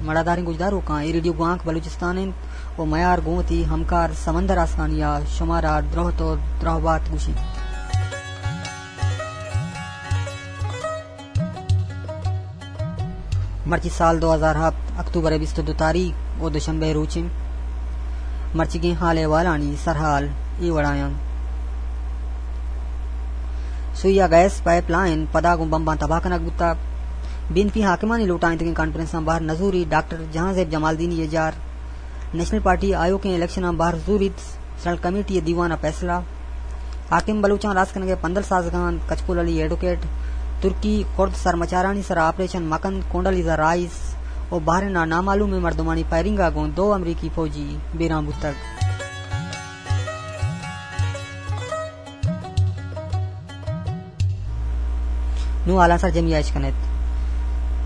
مڑاداریں گوشداروکاں، اے ریڈیو گوانک بلوچستان انت و میار گوں وتی ہمکار سمندر آسکانی ء شمارا درہت و درہبات گوشیں۔ مرچی سال دو ہزار ہپت، اکتوبر ء بیست و دو تاریخ و دوشنبے روچیں۔ مرچیگیں حال احوالانی سرحال اے وڑایاں۔ سوئی ء گیس پائپ لائن پدا گوں بمباں تباہ کنگ بوتگ۔ بی این پی حاکمانی لوٹائینتگیں کانفرنساں بہر نزوری، ڈاکٹر جہانزیب جمالدینی ء جار۔ نیشنل پارٹی آیوکیں الیکشناں بہر زوریت، سینٹرل کمیٹی ء دیوان ء فیصلہ۔ حاکم بلوچاں راست کنگ ء پندل سازگ ء انت، کچکول علی ایڈوکیٹ۔ ترکی کرد سرمچارانی سرا آپریشن مکنت، کونڈالیزا رائس۔ و بحرین ء نامعلومیں مردمانی فائرنگ ء گوں دو امریکی فوجی بیران بوتگ۔ نوں حالاں سرجمی ء اش کن ات۔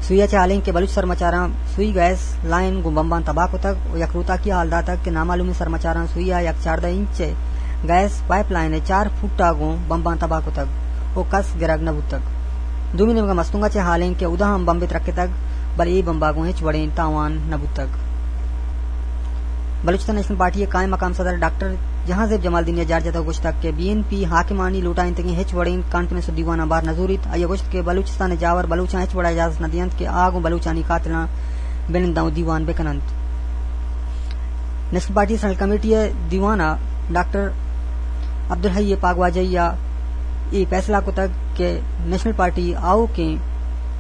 سوئی ء چہ حالیں کہ بلوچ سرمچاراں سوئی گیس لائن گوں بمباں تباہ کتگ و یک روتاکی حال داتگ کہ نامعلومیں سرمچاراں سوئی ء یک چاردہ انچ ء گیس پائپ لائن ء چار فٹ ء گوں بمباں تباہ کتگ و کس گرگ نہ بوتگ۔ دومی نیمگ ء مستونگ ء چہ حالیں کہ اودا ہم بمبے ترکتگ، بلے اے بمب ء گوں ہچ وڑیں تاوان نہ بوتگ۔ بلوچستان نیشنل پارٹی ء قائم مقام صدر ڈاکٹر جہانزیب جمالدینی ء جار جتگ و گوشتگ کہ بی این پی حاکمانی لوٹائینتگیں ہچ وڑیں کانفرنس و دیواناں بار نہ زوریت۔ آئی ء گوشت کہ بلوچستان ء جاور بلوچاں ہچ وڑا اجازت نہ دینت کہ آ گوں بلوچانی قاتلاں بہ ننداں و دیوان بہ کننت۔ نیشنل پارٹی سینٹرل کمیٹی ء دیوان ء ڈاکٹر عبدالحی پاگواجہی ء اے فیصلہ کتگ کہ نیشنل پارٹی آؤکیں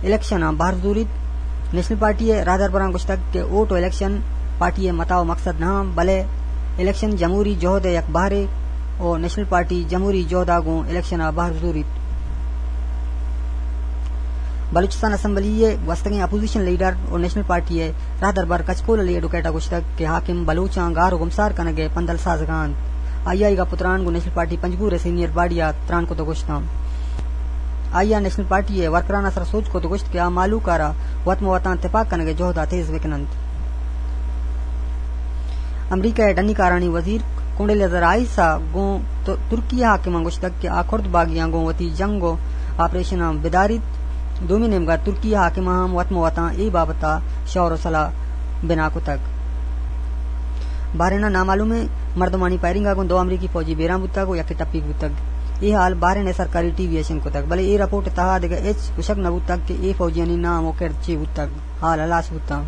الیکشناں بہر زوریت۔ نیشنل پارٹی ء راہدربراں گوشتگ کہ ووٹ و الیکشن پارٹی ء متاع و مقصد نہ انت، بلے الیکشن جمہوری جہد ء یک بہرے و نیشنل پارٹی جمہوری جہد ء گوں الیکشن ء بہر زوریت۔ بلوچستان اسمبلی ء گوستگیں اپوزیشن لیڈر و نیشنل پارٹی ء راہدربر کچکول علی ایڈوکیٹ ء گوشتگ کہ حاکم بلوچاں گار و گمسار کنگ ء پندل سازگ ء انت۔ آئی ء اے گپ و تران گوں نیشنل پارٹی پنجگور ء سینئر باڈی ء تران کت و گوشتاں۔ آئی ء نیشنل پارٹی ء ورکران ء سر سوج کت و گوشت کہ آ مہلوک ء را وت مہ وتاں تپاک کنگ ء جہد ء تیز بہ کن انت۔ امریکہ ء ڈنی کارانی وزیر کونڈیلیزا رائس ء گوں ت-، ترکی ء حاکماں گوشتگ کہ آ کرد باغیاں گوں وتی جنگ و آپریشناں بداریت۔ دومی نیمگا ترکی ء حاکماں ہم وت مہ وتاں اے بابت ء شور و صلاح بنا کتگ۔ بحرین ء نامعلومیں مردمانی فائرنگ ء گوں دو امریکی فوجی بیران بوتگ و یکے ٹپیگ بوتگ۔ اے حال بحرین ء سرکاری ٹی وی ء شنگ کتگ، بلے اے رپورٹ ء تہا دگہ ہچ گوشگ نہ بوتگ کہ اے فوجیانی نام و کرد چے بوتگ۔ حال ہلاس بوتاں۔